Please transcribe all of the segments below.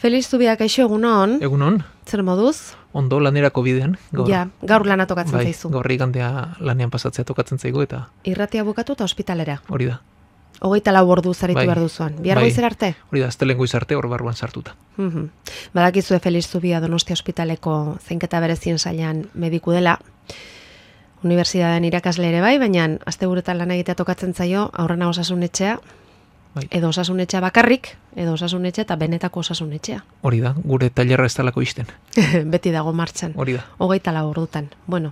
Feliz Zubiak, aixo, egunon. Egunon. Zer moduz? Ondo lanerako bidean. Gaur. Ja, gaur lana tokatzen zaizu. Gaur igandea lanean pasatzea tokatzen zaigu eta... Irratia bukatu eta ospitalera. Hori da. 24 ordu zaritu behar duzuan. Bihar goizer arte? Hori da, aztelen goiz arte hor barruan sartuta. Badakizue Feliz Zubia Donostia ospitaleko zeinketa berezien sailan mediku dela. Unibertsitatean irakasle ere bai, baina asteburuetan lan egitea tokatzen zaio aurrena osasunetxea, edo osasunetxea bakarrik, edo osasunetxea eta benetako osasunetxea. Hori da, gure tailerra ez talako izten. Beti dago martxan. Hori da. 24 ordutan. Bueno,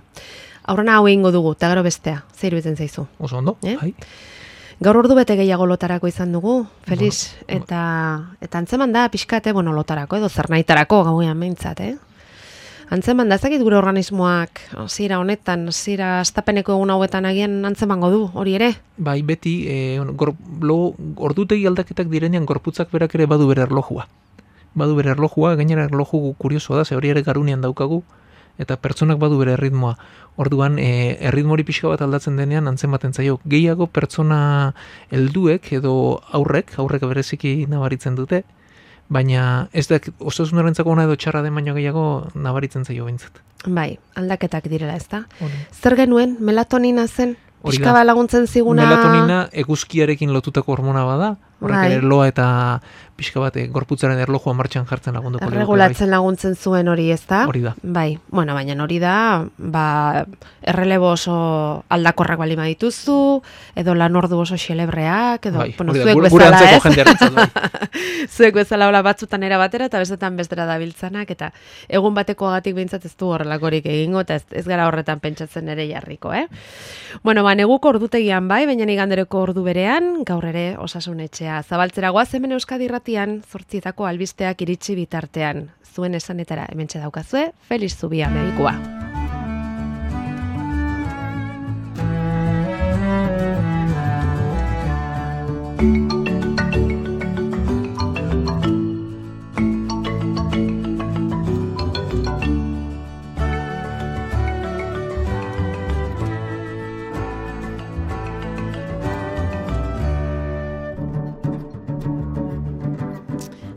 aurrena hau egingo dugu, eta gero bestea. Zer iruditzen zaizu? Oso ondo, bai. Gaur ordu bete gehiago lotarako izan dugu, Feliz, eta antzeman da pixkate, lotarako edo zernaitarako gauean behintzat, Antzeman da, ezakit gure organismoak zira honetan, zira astapeneko egun hauetan agian antzemango du, hori ere? Bai, beti, ordutegi aldaketak direnean gorputzak berak ere badu bere erlojua. Badu bere erlojua, gainera erloju kuriosoa da, ze hori ere garunean daukagu, eta pertsonak badu bere erritmoa. Orduan, erritmori pixka bat aldatzen denean antzematen zaio. Gehiago pertsona helduek edo aurrek bereziki nabaritzen dute, baina ez da osasunarentzako ona edo txarra den baino gehiago nabaritzen zaio behintzat. Bai, aldaketak direla, ezta? Zer genuen, melatonina zen? Pixka bat laguntzen ziguna... Melatonina eguzkiarekin lotutako hormona bada, horrek ere loa eta pixka bat gorputzaren erlojua martxan jartzen lagunduko. Erregulatzen laguntzen zuen hori, ezta? Hori da. Bai, baina hori da, errelebo oso aldakorrak bali badituzu, edo lan ordu oso xelebreak, edo, zuek bezala, ez? Zuek bezala hola batzutan era batera, eta bestetan bestera dabiltzanak, eta egun bateko agatik behintzat ez du horrelakorik egingo, eta ez gara horretan pentsatzen ere jarriko, neguko ordutegian bai, baina igandereko ordu berean, gaur ere osasunetxea. Zabaltzera goaz hemen Euskadi Irratian, 8etako albisteak iritsi bitartean. Zuen esanetara hementxe daukazue, Feliz Zubia medikua.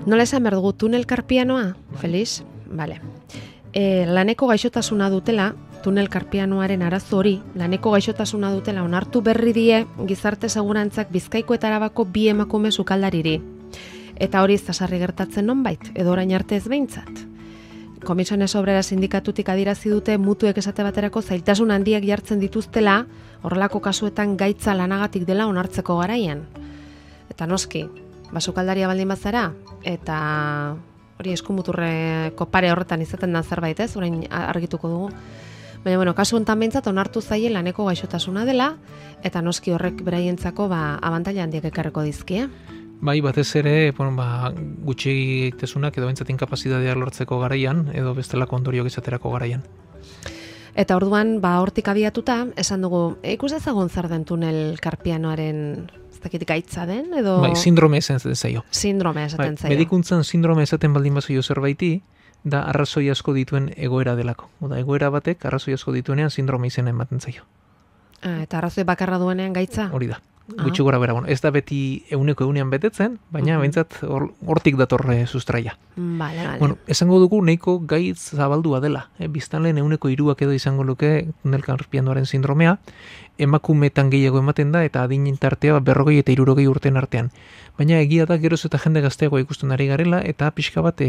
Nola esan behar dugu, tunel karpianoa, Feliz? Bale. Laneko gaixotasuna dutela, tunel karpianoaren arazo hori, laneko gaixotasuna dutela onartu berri die gizarte segurantzak Bizkaiko eta Arabako 2 emakume sukaldariri. Eta hori ez da sarri gertatzen nonbait, edo orain arte ez behintzat. Komisiones Obrera sindikatutik adierazi dute mutuek esate baterako zailtasun handiak jartzen dituztela, horrelako kasuetan gaitza lanagatik dela onartzeko garaian. Eta noski, basukaldaria baldin bazara, eta hori eskumuturreko pare horretan izaten da zerbait, ez? Orain argituko dugu. Baina, kasu honetan behintzat onartu zaie laneko gaixotasuna dela, eta noski horrek beraientzako abantaila handiak ekarriko dizkie. Bai, batez ere, gutxi tesunak edo behintzat inkapazitatea lortzeko garaian, edo bestelako ondoriok izaterako garaian. Eta orduan, hortik abiatuta, esan dugu, ikus ezagun zer den tunel karpianoaren gaitza den, edo... Bai, sindrome esaten zaio. Sindrome esaten zaio. Medikuntzan sindrome esaten baldin bazaio zerbaiti, da arrazoi asko dituen egoera delako. Oda, egoera batek arrazoi asko dituenean sindrome izena ematen zaio. Eta arrazoi bakarra duenean gaitza? Hori da. Gutxi gora bera, ez da beti egunean betetzen, baina behintzat hortik datorre sustraia. Vale. Esango dugu nahiko gaitz zabaldua dela. Biztanleen 3% edo izango luke tunel karpianoaren sindromea, emakumetan gehiago ematen da, eta adinen tartea 40 eta 60 urten artean. Baina egia da geroz eta jende gazteagoa ikusten ari garela, eta pixka bat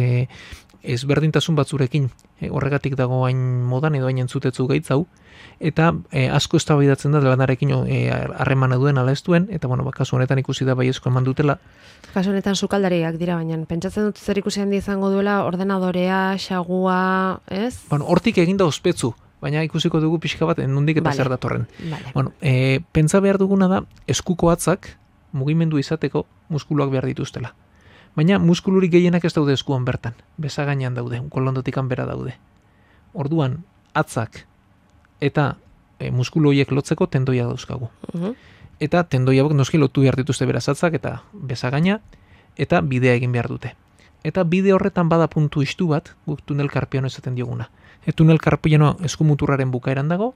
ezberdintasun batzurekin. Horregatik dago hain modan edo hain entzutetzu gaitz hau, eta asko eztabaidatzen da lanarekin harremana duen ala ez duen, eta kasu honetan ikusi da baiezko eman dutela. Kasu honetan sukaldariak dira, baina pentsatzen dut zer ikusi handi izango duela ordenadorea, xagua, ez? Hortik eginda ospetsu, baina ikusiko dugu pixka bat nondik eta zer datorren. Pentsa behar duguna da, eskuko hatzak mugimendu izateko muskuluak behar dituztela. Baina muskulurik gehienak ez daude eskuan bertan, bezagainan daude, kolondotikan bera daude. Orduan, hatzak eta muskulu horiek lotzeko tendoia dauzkagu. Eta tendoia noski lotu behar dituzte beraz hatzak eta bezagaina, eta bidea egin behar dute. Eta bide horretan bada puntu istu bat, guk tunel karpiano esaten dioguna. Tunel karpiano eskumuturraren bukaeran dago,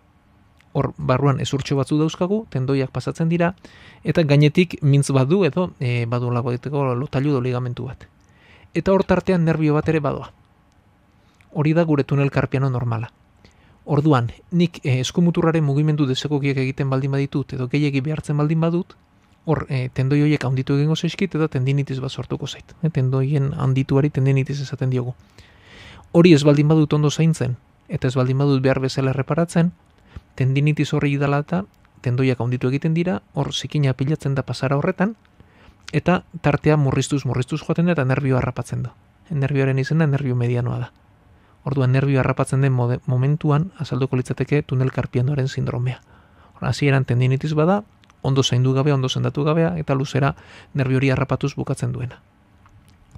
hor barruan ezurtxo batzu dauzkagu, tendoiak pasatzen dira, eta gainetik mintz badu edo badu lagoeteko lotailu edo ligamentu bat. eta hor tartean nerbio bat ere badoa. Hori da gure tunel karpiano normala. Orduan, nik eskumuturraren mugimendu desegokiak egiten baldin baditut edo gehiegi behartzen baldin badut, hor tendoi horiek handitu egingo zaizkit eta tendinitis bat sortuko zait. Tendoien handituari tendinitis esaten diogu. Hori ez baldin badut ondo zaintzen eta ez baldin badut behar bezala erreparatzen, tendinitis horri dela eta tendoiak handitu egiten dira, hor zikina pilatzen da pasara horretan, eta tartea murriztuz joaten da eta nerbioa harrapatzen da. Nerbioaren izena nerbio medianoa da. Orduan nerbioa harrapatzen den momentuan azalduko litzateke tunel karpianoaren sindromea. Hasieran tendinitis bada, ondo zaindu gabe, ondo sendatu gabea, eta luzera nerbio hori harrapatuz bukatzen duena.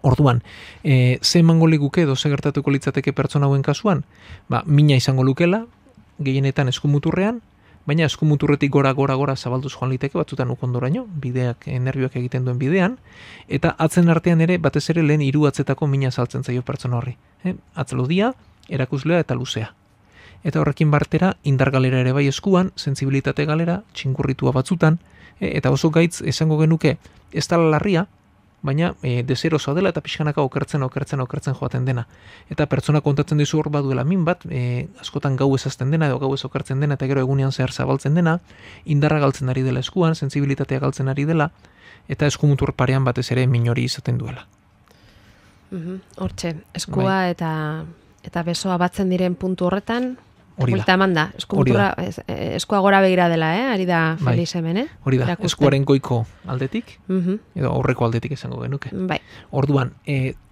Orduan, ze emango liguke edo ze gertatuko litzateke pertsona hauen kasuan? Mina izango lukela, gehienetan eskumuturrean, baina eskumuturretik gora zabalduz joan liteke batzutan ukondoraino, bideak, nerbioak egiten duen bidean, eta atzen artean ere, batez ere lehen 3 atzetako mina saltzen zaio pertsona horri. Atzelodia, erakuslea eta luzea. Eta horrekin bartera, indar galera ere bai eskuan, sentsibilitate galera, txingurritua batzutan, eta oso gaitz esango genuke ez dela larria, baina deserosoa dela eta pixkanaka okertzen joaten dena. Eta pertsona kontatzen dizu hor baduela min bat, askotan gau ezazten dena edo gau ez okertzen dena eta gero egunean zehar zabaltzen dena, indarra galtzen ari dela eskuan, sentsibilitatea galtzen ari dela, eta eskumutur parean batez ere min hori izaten duela. Hortxe, eskua eta besoa batzen diren puntu horretan, Hori da, eskua gora begira dela, ari da Feliz hemen, Hori da, eskuaren goiko aldetik, edo aurreko aldetik esango genuke. Bai. Orduan,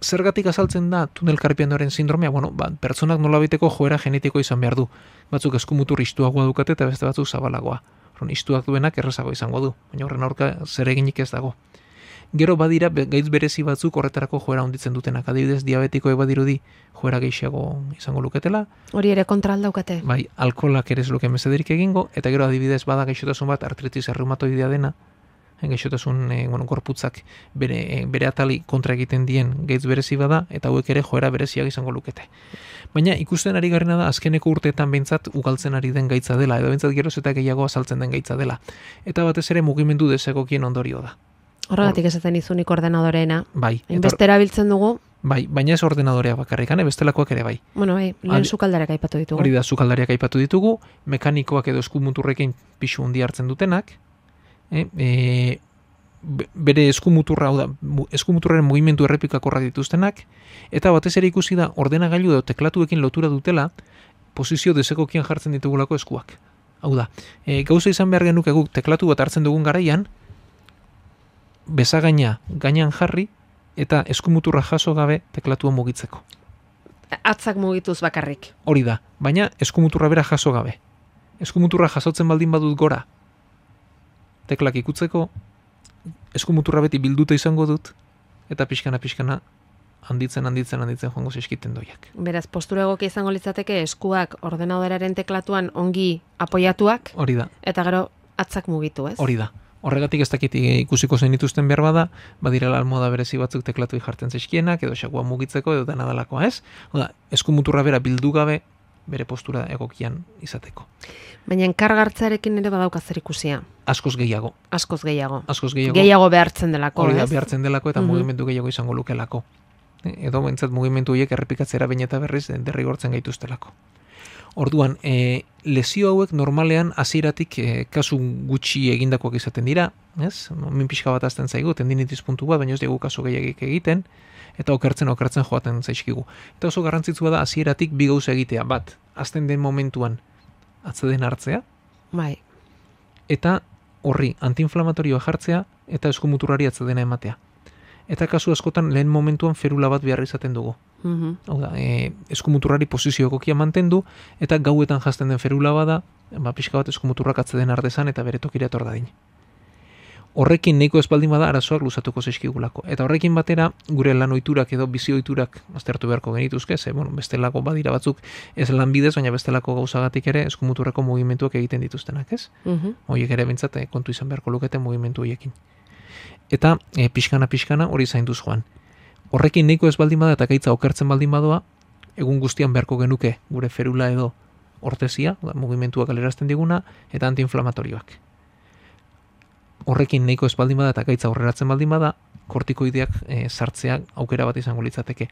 zergatik azaltzen da tunel karpianoaren sindromea? Pertsonak nolabiteko joera genetiko izan behar du. Batzuk eskumutur istuagoa dukate eta beste batzuk zabalagoa. Istuak duenak errazago izango du, baina horren aurka zer eginik ez dago. Gero badira gaitz berezi batzuk horretarako joera handitzen dutenak. Adibidez, diabetikoek badirudi joera gehiago izango luketela. Hori ere kontra aldaukate. Bai, alkoholak ere ez luke mesederik egingo, eta gero adibidez bada gaixotasun bat artritis erreumatoidea dena, gaixotasun gorputzak bere atali kontra egiten dien gaitz berezi bada, eta hauek ere joera bereziak izango lukete. Baina ikusten ari garena da azkeneko urteetan behintzat ugaltzen ari den gaitza dela, edo behintzat geroz eta gehiago azaltzen den gaitza dela. Eta batez ere mugimendu desegokien ondorio da. Horregatik esaten izunik ordenadoreena. Bai. Hainbeste erabiltzen dugu. Bai, baina ez ordenadorea bakarrikan, bestelakoak ere bai. Bueno, bai, lehen sukaldariak aipatu ditugu. Hori da, sukaldariak aipatu ditugu, mekanikoak edo eskumuturrekin pixu handi hartzen dutenak, bere eskumuturra, hau da, eskumuturraren mugimendu errepikakorrak dituztenak, eta batez ere ikusi da ordenagailu edo teklatuekin lotura dutela, posizio desegokian jartzen ditugulako eskuak. Hau da, gauza izan behar genuke guk teklatu bat hartzen dugun garaian, bezagaina gainan jarri eta eskumuturra jaso gabe teklatua mugitzeko. Atzak mugituz bakarrik. Hori da, baina eskumuturra bera jaso gabe. Eskumuturra jasotzen baldin badut gora, teklak ikutzeko, eskumuturra beti bilduta izango dut, eta pixkana handitzen joango zeskiten doiak. Beraz, postura egokia izango litzateke eskuak ordenadoraren teklatuan ongi apoiatuak. Hori da. Eta gero atzak mugitu, ez? Hori da. Horregatik ez dakit ikusiko zein dituzten behar bada, badirela almoda berezi batzuk teklatu jartzen zaizkienak, edo xakua mugitzeko, edo dena dalakoa, ez? Oda, eskumuturra bera bildu gabe, bere postura egokian izateko. Baina enkargartzarekin ere badauka zer ikusia. Askoz gehiago. Gehiago behartzen delako, hori da, behartzen delako eta mugimendu gehiago izango lukelako. Edo bentsat mugimendu horiek errepikatzera behin eta berriz derrigortzen gaituztelako. Orduan, lesio hauek normalean hasieratik kasu gutxi egindakoak izaten dira, ez? Min pixka bat azten zaigu, tendinitis puntu bat, baina ez dugu kasu gehiagik egiten, eta okertzen joaten zaizkigu. Eta oso garrantzitsua da hasieratik bi gauza egitea, bat, azten den momentuan atzeden hartzea, bai. Eta horri antiinflamatorioa jartzea, eta eskumuturrari atzedena ematea. Eta kasu askotan lehen momentuan ferula bat behar izaten dugu. Hau da, eskumuturrari posizio egokia mantendu, eta gauetan jazten den ferula bada, pixka bat eskumuturrak atzeden ardezan eta bere tokira etor dadin. Horrekin nahiko espaldin bada arazoak luzatuko zaizkigulako. Eta horrekin batera, gure lan ohiturak edo bizi ohiturak aztertu beharko genituzke, bestelako badira batzuk ez lanbidez, baina bestelako gauzagatik ere eskumuturreko mugimenduak egiten dituztenak, ez? Horiek ere bentsat kontu izan beharko lukete mugimendu horiekin. Eta pixkana hori zainduz joan. Horrekin nahiko ez baldin bada eta gaitza okertzen baldin badoa, egun guztian beharko genuke gure ferula edo ortesia, mugimenduak galerazten diguna, eta antiinflamatorioak. Horrekin nahiko ez baldin bada eta gaitza aurreratzen baldin bada, kortikoideak sartzea aukera bat izango litzateke.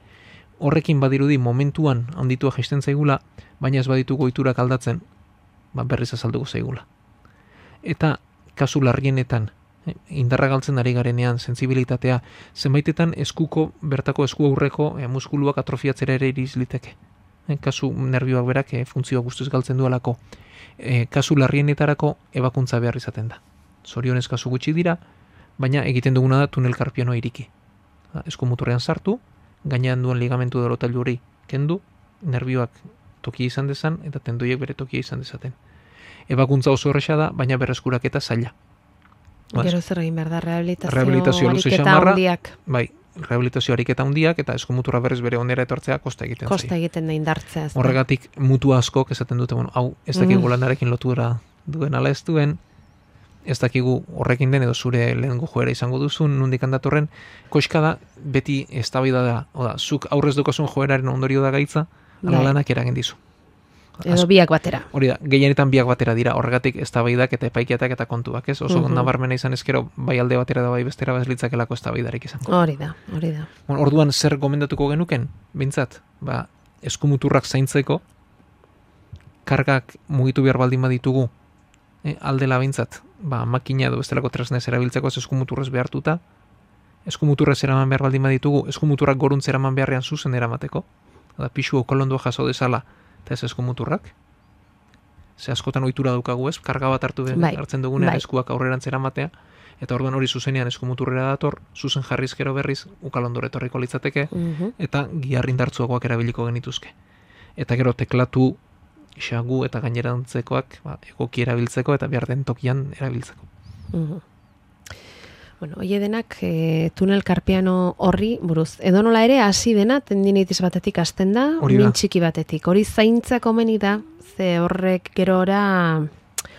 Horrekin badirudi momentuan handitua jaisten zaigula, baina ez baditugu ohiturak aldatzen, berriz azalduko zaigula. Eta kasu larrienetan, indarra galtzen ari garenean, sentsibilitatea, zenbaitetan bertako esku aurreko muskuluak atrofiatzera ere iriz liteke. Kasu nerbioak berak funtzioa guztiz galtzen duelako. Kasu larrienetarako ebakuntza behar izaten da. Zorionez kasu gutxi dira, baina egiten duguna da tunel karpianoa iriki. Eskumuturrean sartu, gainean duen ligamentu dorotailu hori kendu, nerbioak tokia izan dezan, eta tendoiek bere tokia izan dezaten. Ebakuntza oso horreza da, baina berreskuraketa zaila. Gero zer egin behar da, rehabilitazio ariketa handiak. Bai, rehabilitazio ariketa handiak, eta eskumuturra berriz bere onera etortzea kosta egiten zaio. Kosta egiten da indartzea. Horregatik mutu askok esaten dute, hau ez dakigu lanarekin lotura duen ala ez duen, ez dakigu horrekin den edo zure lehengo joera izango duzun, nondik handatorren, koska da, beti eztabaida da, zuk aurrez dukozun joeraren ondorio da gaitza, ala lanak eragin dizu. Edo biak batera. Hori da, gehienetan biak batera dira, horregatik eztabaidak eta epaikiatak eta kontuak, ez? Oso nabarmena izan ezkero, bai alde batera da bai bestera bazlitzakelako eztabaidarik izango. Hori da. Orduan zer gomendatuko genuken, bintzat, eskumuturrak zaintzeko, kargak mugitu behar baldin baditugu, aldela bintzat, makina edo bestelako tresnez erabiltzeko eskumuturrez behartuta, eskumuturrez eraman behar baldin baditugu, eskumuturrak goruntz eraman beharrean zuzen eramateko, pixu kolondua jaso dezala, eta ez eskumuturrak. Ze askotan ohitura daukagu ez, karga bat hartzen dugunean eskuak aurrerantz eramatea, eta orduan hori zuzenean eskumuturrera dator, zuzen jarrizkero berriz, ukalondore etorriko litzateke, eta giarrindartzuagoak erabiliko genituzke. Eta gero teklatu, xagu eta gainerantzekoak egoki erabiltzeko eta behar den tokian erabiltzeko. Hoi denak tunel karpiano horri buruz. Edo nola ere, hasi dena tendinitis batetik hasten da, min txiki batetik. Hori zaintzak omeni da, ze horrek gerora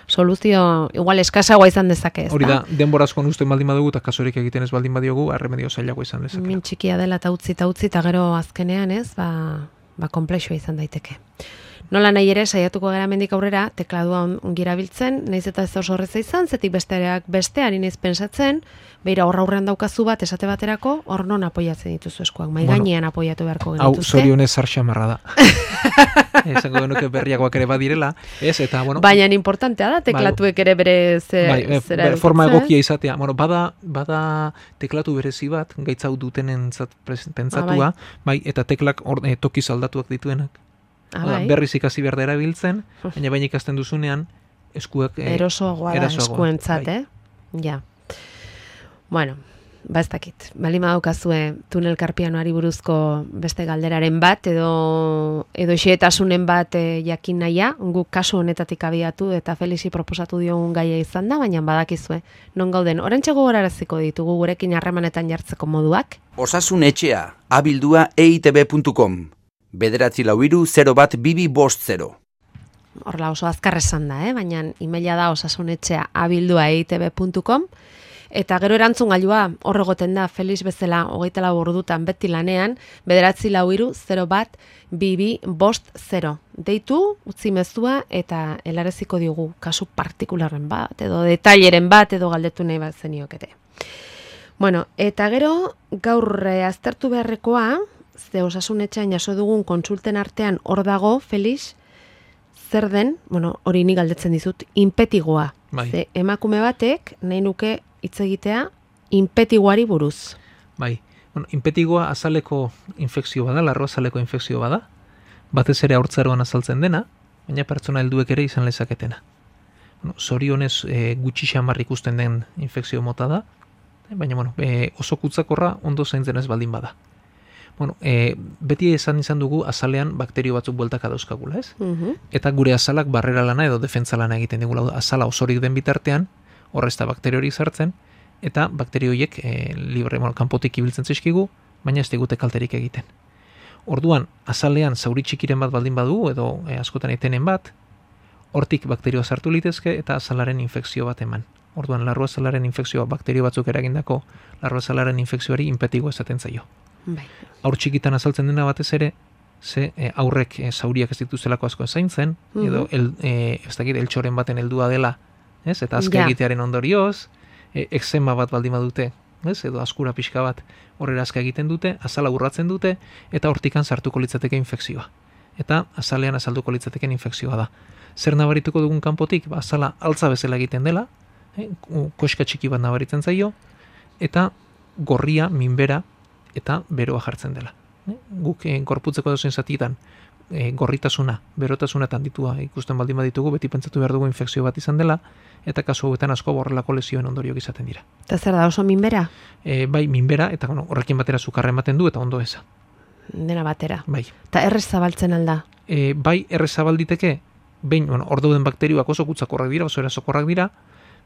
soluzio igual eskasagoa izan dezake, ez da? Hori da, denborazkoan usten baldin badugu eta kasorik egiten ez baldin badiogu, erremedio zailagoa izan dezake. Min txikia dela eta utzi eta gero azkenean ez, komplexua izan daiteke. Nola nahi ere, saiatuko gara mendik aurrera, tekladua ongira biltzen, nahiz eta ez oso horreza izan, zetik besteak bestean iniz pensatzen, beira aurrean daukazu bat esate baterako, hor non apoiatzen dituzu eskuak, gainean apoiatu beharko genituzke. Hau, zorionez zarxamarra da. Esango genuke berriakoak ere badirela, ez, eta, baina importantea da, teklatuek ere bere zera edukitzen. Forma egokia izatea, bada teklatu berezi bat, gaitzau dutenen pentsatua, eta teklak tokiz aldatuak dituenak. Berriz ikasi behar da erabiltzen, baina ikasten duzunean eskuak erosoagoa da eskuentzat, Ja. Bueno, ez dakit. Balima daukazue tunel karpianoari buruzko beste galderaren bat, edo xehetasunen bat jakin nahia, guk kasu honetatik abiatu eta Felixi proposatu diogun gaia izan da, baina badakizue. Non gauden, orantxe gogoraraziko ditugu gurekin harremanetan jartzeko moduak? Osasun etxea, abildua eitb.com. 944-01-2250. Horla oso azkar esan da, baina emaila da osasunetxea abildua.eitb.com, eta gero erantzungailua hor egoten da Felix bezala 24 ordutan beti lanean 944-01-2250. Deitu, utzi mezua eta helareziko diogu kasu partikularren bat, edo detaileren bat, edo galdetu nahi bat zeniokete. Bueno, eta gero gaur aztertu beharrekoa, ze osasunetxean jaso dugun kontsulten artean hor dago, Felix, zer den, hori ni galdetzen dizut, inpetigoa. Ze emakume batek, nahi nuke hitz egitea, inpetiguari buruz. Inpetigoa azaleko infekzio bada, larro azaleko infekzio bada, batez ere haurtzaroan azaltzen dena, baina pertsona helduek ere izan lezaketena. Zorionez gutxi xamar ikusten den infekzio mota da, baina oso kutsakorra ondo zaintzen ez baldin bada. Beti izan dugu azalean bakterio batzuk bueltaka dauzkagula, ez? Eta gure azalak barrera lana edo defentsa lana egiten digula, azala osorik den bitartean, horrezta bakterio hori sartzen, eta bakterio horiek libre kanpotik ibiltzen zaizkigu, baina ez digute kalterik egiten. Orduan, azalean zauri txikiren bat baldin badugu, edo askotan etenen bat, hortik bakterioa sartu litezke eta azalaren infekzio bat eman. Orduan, larru azalaren infekzioa bakterio batzuk eragindako, larru azalaren infekzioari inpetigo esaten zaio. Aur txikitan azaltzen dena batez ere, ze aurrek zauriak ez dituzelako asko zaintzen, edo ez dakit eltxoren baten heldua dela, eta azke egitearen ondorioz, eksema bat baldin badute, ez? Edo askura pixka bat horrera azka egiten dute, azala urratzen dute, eta hortikan sartuko litzateke infekzioa. Eta azalean azalduko litzateken infekzioa da. Zer nabarituko dugun kanpotik? Azala altza bezala egiten dela, koska txiki bat nabaritzen zaio, eta gorria, minbera, eta beroa jartzen dela. Guk gorputzeko dozen zatitan gorritasuna, berotasuna eta handitua ikusten baldin baditugu, beti pentsatu behar dugu infekzio bat izan dela, eta kasu hauetan asko borrelako lesioen ondoriok izaten dira. Eta zer da, oso minbera? Bai, minbera, eta horrekin batera sukarra ematen du, eta ondo eza. Dena batera. Bai. Eta errez zabaltzen alda? Bai, errez zabalditeke, behin, hor dauden bakterioak oso gutzakorrak dira, oso erasokorrak dira,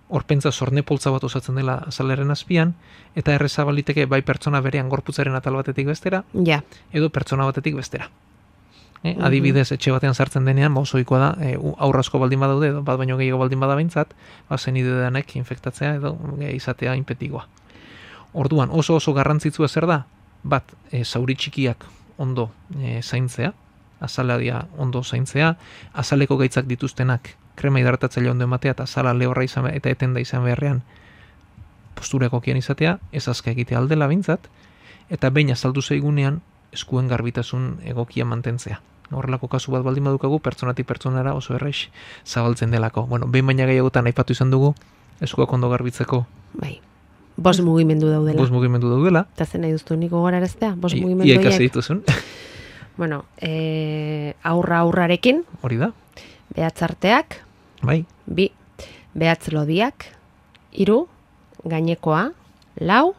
hor pentsa zorne poltza bat osatzen dela azalaren azpian, eta errez zabalditeke bai pertsona berean gorputzaren atal batetik bestera, edo pertsona batetik bestera. Adibidez, etxe batean sartzen denean, osoikoa da, aurra asko baldin badaude, edo bat baino gehiago baldin bada behintzat, zenide denek infektatzea edo izatea inpetikoa. Orduan, oso garrantzitsua zer da? Bat, zauri txikiak ondo zaintzea, azaladia ondo zaintzea, azaleko gaitzak dituztenak krema hidratatzaile ondo ematea, eta azala lehorra izan eta etenda izan beharrean postura egokian izatea, ez azka egitea aldela behintzat, eta behin azaldu zaigunean eskuen garbitasun egokia mantentzea. Horrelako kasu bat baldin badukagu, pertsonatik pertsonara oso errex zabaltzen delako. Bueno, behin baina gehiagotan aipatu izan dugu, eskuak ondo garbitzeko. Bai. 5 mugimendu daudela. 5 mugimendu daudela. Eta zen nahi duztu niko goraraztea? 5 mugimendu horiek. Iekasi dituzun. Bueno, aurrarekin. Hori da. Behatzarteak. Bai. 2. Behatz lodiak. 3. Gainekoa. 4.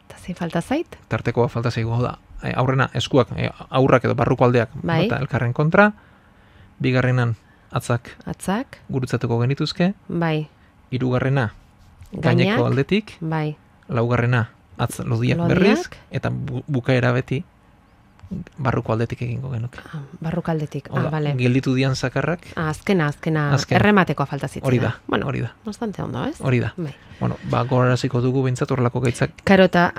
Eta zein falta zait? Tartekoa falta zaigu da. Aurrena, eskuak, aurrak edo barruko aldeak, bai. Eta elkarren kontra, bigarrenan atzak gurutzatuko genituzke, bai. Hirugarrena gaineko aldetik, bai. Laugarrena atz lodiak berriz, eta bukaera beti barruko aldetik egingo genuke. Barruko aldetik, bale. Gelditu dian zakarrak. Azkena, errematekoa falta zitzen. Hori da, bueno, hori da. Bastante ondo, ez? Hori da. Bai. Bueno, goraraziko dugu behintzat horrelako gaitzak. Karo, eta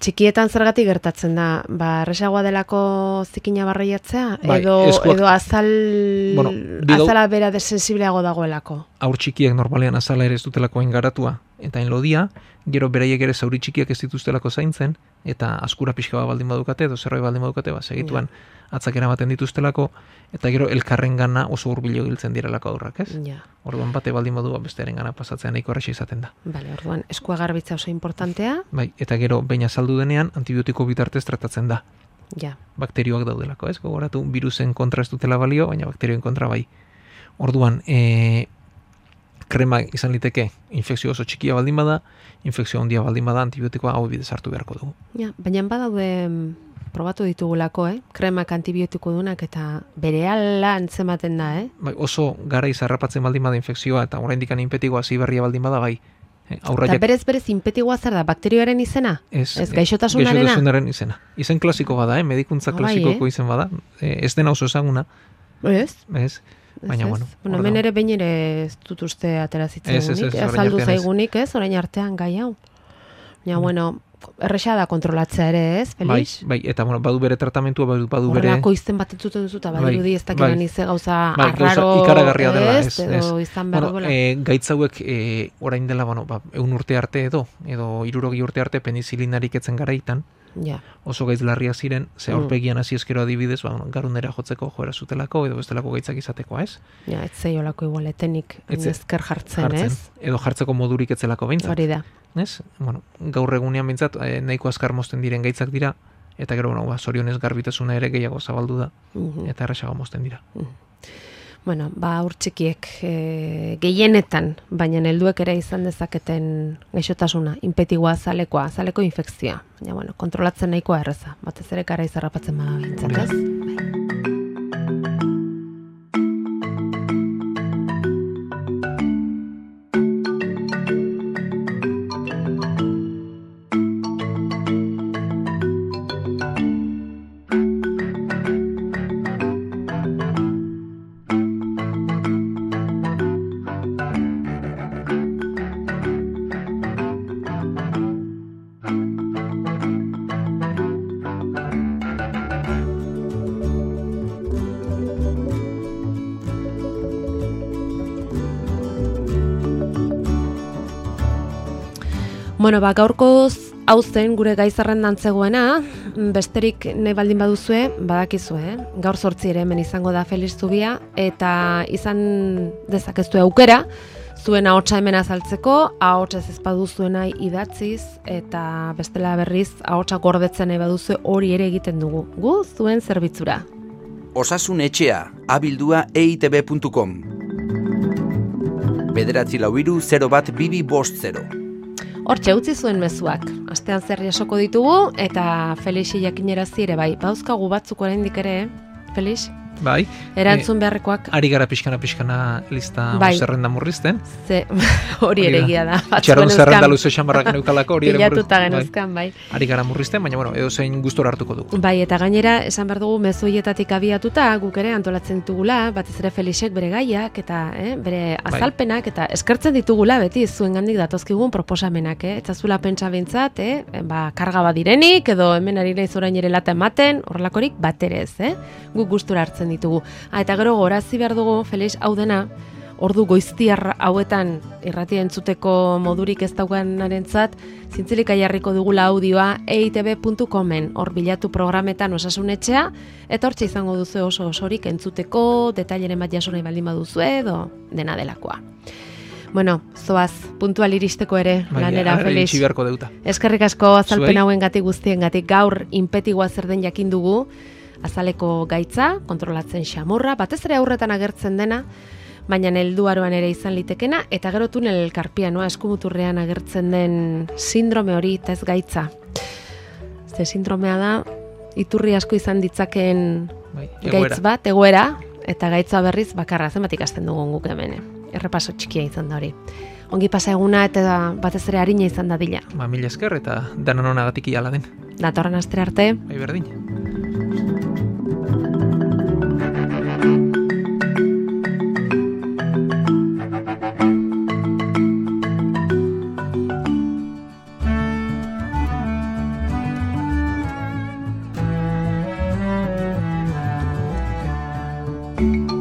txikietan zergatik gertatzen da, erresagoa delako zikina barreiatzea, bai, edo azala bera desensibleago dagoelako. Aur txikiak normalean azala ere ez dutelako engaratua, eta enlodia, gero beraiek ere zauri txikiak ez dituztelako zaintzen, eta askura pixka bat baldin badukate, edo zerbait baldin badukate, segituan atzak eramaten dituztelako, eta gero elkarren gana oso hurbilo giltzen direlako aurrak, ez? Orduan bate baldin badua bestearen gana pasatzea nahiko erraxa izaten da. Bale, orduan, eskua garbitza oso importantea. Bai, eta gero behin azaldu denean, antibiotiko bitartez tratatzen da. Bakterioak daudelako, ez? Gogoratu, virusen kontra ez dutela balio, baina bakterioen kontra bai. Orduan, krema izan liteke infekzio oso txikia baldin bada, infekzio handia baldin bada, antibiotikoa hau bidez hartu beharko dugu. Baina badaude probatu ditugulako, kremak antibiotiko dunak eta berehala antzematen da, Bai, oso garaiz harrapatzen baldin bada infekzioa eta oraindik inpetikoa hasi berria baldin bada bai. Eta berez inpetikoa zer da, bakterioaren izena? Ez gaixotasunarena? Gaixotasunaren izena. Izen klasiko bada, medikuntza klasikoko izen bada. Ez dena oso ezaguna. Ez? Baina, bueno. Hemen ere behin ere ez dut uste aterazitzen azaldu zaigunik, ez? Orain artean gai hau. Baina, bueno, erresa da kontrolatzea ere, ez, Felix? Bai, eta badu bere tratamentua, badu bere... Horrelako izten bat entzute duzu, eta badirudi ez dakiran ize gauza arraro, ikaragarria dela, ez? Edo izan behar duela. Gaitzauek orain dela, 100 urte arte edo 60 urte arte penizilinarik etzen garaitan, oso gaitz larriak ziren, ze aurpegian hasi eskero adibidez, garunera jotzeko joera zutelako, edo bestelako gaitzak izatekoa, ez? Ez zeiolako igualetenik ezker jartzen, ez? Edo jartzeko modurik etzelako behintzat. Hori da. Ez? Gaur egunean behintzat nahiko azkar mozten diren gaitzak dira, eta gero, zorionez garbitasuna ere gehiago zabaldu da, eta erresago mozten dira. Bueno, aur txikiek gehienetan, baina helduek ere izan dezaketen gaixotasuna, inpetigoa, azaleko infekzioa. Baina, kontrolatzen nahikoa erreza, batez ere gara izarrapatzen bada behintzat, ez? Bueno, gaurkoz hau zen gure gai zerrendan zegoena, besterik nahi baldin baduzue, badakizue, gaur 8 ere hemen izango da Felix Zubia, eta izan dezakezue aukera, zuen ahotsa hemen azaltzeko, ahotsez ez baduzuena idatziz, eta bestela berriz ahotsa gordetzen nahi baduzue hori ere egiten dugu, gu zuen zerbitzura. Osasun etxea, abildua eitb.com. 944-01-2250. Hortxe utzi zuen mezuak, astean zer jasoko ditugu, eta Felixi jakinerazi ere bai, bauzkagu batzuk oraindik ere, Felix? Bai. Erantzun beharrekoak. Ari gara pixkana lista zerrenda murrizten. Hori ere egia da. Txarron zerrenda luze xamarrak neukalako hori ere murrizten. Pilatuta genuzkan, bai. Ari gara murrizten, baina edo zein gustora hartuko dugu. Bai, eta gainera, esan behar dugu mezuietatik abiatuta, guk ere antolatzen ditugula, batez ere Felixek bere gaiak, eta bere azalpenak, eta eskertzen ditugula beti zuen gandik datozkigun proposamenak, eta zula pentsa bintzat, karga badirenik, edo hemen ari naiz orain ere lata ematen, horrelakorik baterez, guk gustura hartzen ditugu. Eta gero gorazi behar dugu, Felix, hau dena, ordu goiztiar hauetan irratia entzuteko modurik ez daukanarentzat, zintzilik jarriko dugula audioa eitb.comen, hor bilatu programetan Osasun Etxea, eta hortxe izango duzu oso osorik entzuteko, detaileren bat jaso nahi baldin baduzu edo dena delakoa. Bueno, zoaz, puntual iristeko ere, lanera, Felix. Eskerrik asko azalpen hauen guztien gaur inpetigoa zer den jakin dugu, azaleko gaitza, kontrolatzen xamurra, batez ere aurretan agertzen dena, baina helduaroan ere izan litekena, eta gero tunel karpianoa eskumuturrean agertzen den sindrome hori eta ez gaitza. Ze sindromea da, iturri asko izan ditzakeen gaitz bat, egoera, eta gaitza berriz bakarra, zenbat ikasten dugun guk hemen. Errepaso txikia izan da hori. Ongi pasa eguna eta batez ere harina izan dadila. Mila esker eta danon honagatik iala den. Datorren astre arte. Bai berdin. Thank you.